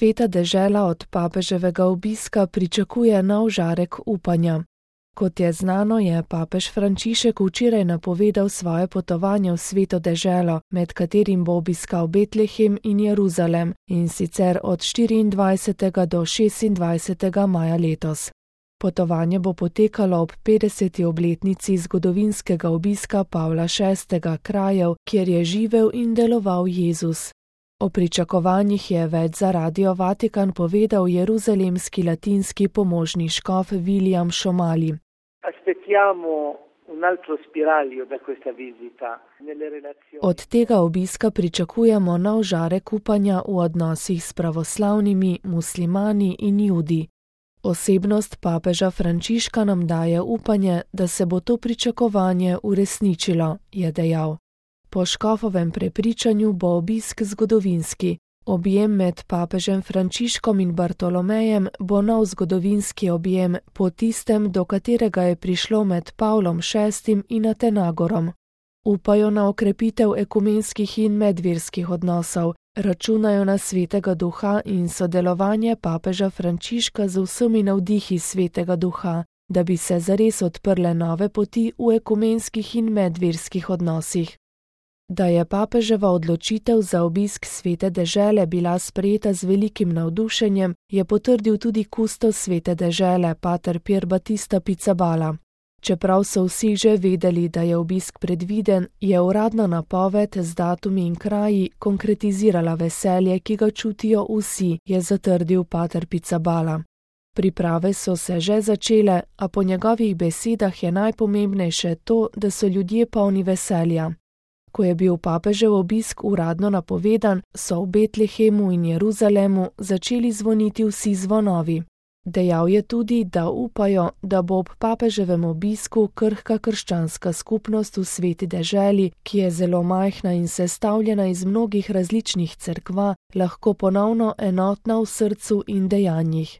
Sveta dežela od papeževega obiska pričakuje nov žarek upanja. Kot je znano, je papež Frančišek včeraj napovedal svoje potovanje v Sveto deželo, med katerim bo obiskal Betlehem in Jeruzalem, in sicer od 24. do 26. maja letos. Potovanje bo potekalo ob 50. obletnici zgodovinskega obiska Pavla VI. Krajev, kjer je živel in deloval Jezus. O pričakovanjih je več za Radio Vatikan povedal jeruzalemski latinski pomožni škof William Šomali. Od tega obiska pričakujemo nov žarek upanja v odnosih s pravoslavnimi, muslimani in Judi. Osebnost papeža Frančiška nam daje upanje, da se bo to pričakovanje uresničilo, je dejal. Po škofovem prepričanju bo obisk zgodovinski. Objem med papežem Frančiškom in Bartolomejem bo nov zgodovinski objem po tistem, do katerega je prišlo med Pavlom VI. In Atenagorom. Upajo na okrepitev ekumenskih in medverskih odnosov, računajo na Svetega Duha in sodelovanje papeža Frančiška z vsemi navdihi Svetega Duha, da bi se zares odprle nove poti v ekumenskih in medverskih odnosih. Da je papeževa odločitev za obisk Svete dežele bila sprejeta z velikim navdušenjem, je potrdil tudi kustos Svete dežele, pater Pier Battista Pizzaballa. Čeprav so vsi že vedeli, da je obisk predviden, je uradna napoved z datumi in kraji konkretizirala veselje, ki ga čutijo vsi, je zatrdil pater Pizzaballa. Priprave so se že začele, a po njegovih besedah je najpomembnejše to, da so ljudje polni veselja. Ko je bil papežev obisk uradno napovedan, so v Betlehemu in Jeruzalemu začeli zvoniti vsi zvonovi. Dejal je tudi, da upajo, da bo ob papeževem obisku krhka krščanska skupnost v Sveti deželi, ki je zelo majhna in sestavljena iz mnogih različnih cerkva, lahko ponovno enotna v srcu in dejanjih.